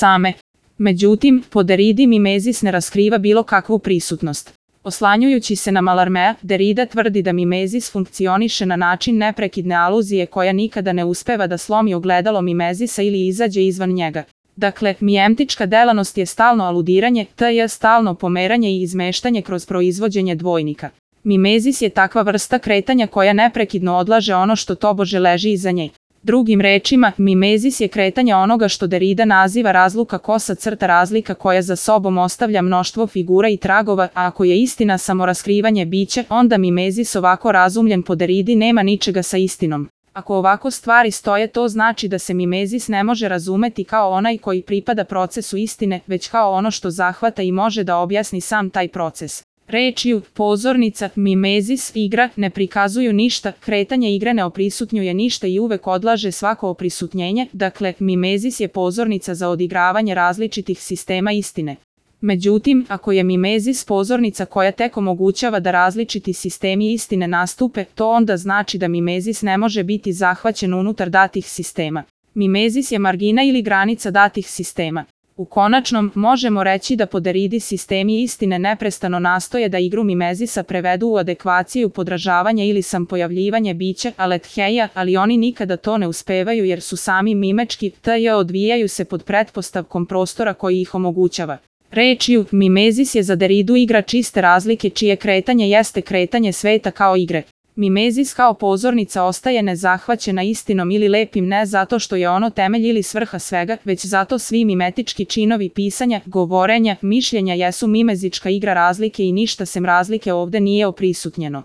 same. Međutim, po Derridi mimezis ne raskriva bilo kakvu prisutnost. Oslanjujući se na Mallarmea, Derrida tvrdi da mimezis funkcioniše na način neprekidne aluzije koja nikada ne uspeva da slomi ogledalo mimezisa ili izađe izvan njega. Dakle, mijemtička delanost je stalno aludiranje, tj. stalno pomeranje i izmeštanje kroz proizvođenje dvojnika. Mimezis je takva vrsta kretanja koja neprekidno odlaže ono što tobože leži iza nje. Drugim rečima, mimezis je kretanje onoga što Derrida naziva razluka kosa crta razlika koja za sobom ostavlja mnoštvo figura i tragova, a ako je istina samo raskrivanje bića, onda mimezis ovako razumljen po Derridi nema ničega sa istinom. Ako ovako stvari stoje, to znači da se mimezis ne može razumeti kao onaj koji pripada procesu istine, već kao ono što zahvata i može da objasni sam taj proces. Rečju, pozornica, mimezis, igra ne prikazuju ništa, kretanje igre ne oprisutnjuje ništa i uvek odlaže svako oprisutnjenje, dakle, mimezis je pozornica za odigravanje različitih sistema istine. Međutim, ako je mimezis pozornica koja tek omogućava da različiti sistemi istine nastupe, to onda znači da mimezis ne može biti zahvaćen unutar datih sistema. Mimezis je margina ili granica datih sistema. U konačnom, možemo reći da po Derridi sistemi istine neprestano nastoje da igru mimezisa prevedu u adekvaciju podražavanja ili sampojavljivanje bića aletheia, ali oni nikada to ne uspevaju jer su sami mimečki, odvijaju se pod pretpostavkom prostora koji ih omogućava. Rečju, mimezis je za Derridu igra čiste razlike čije kretanje jeste kretanje sveta kao igre. Mimezis kao pozornica ostaje nezahvaćena istinom ili lepim ne zato što je ono temelj ili svrha svega, već zato svi mimetički činovi pisanja, govorenja, mišljenja jesu mimezička igra razlike i ništa sem razlike ovde nije oprisutnjeno.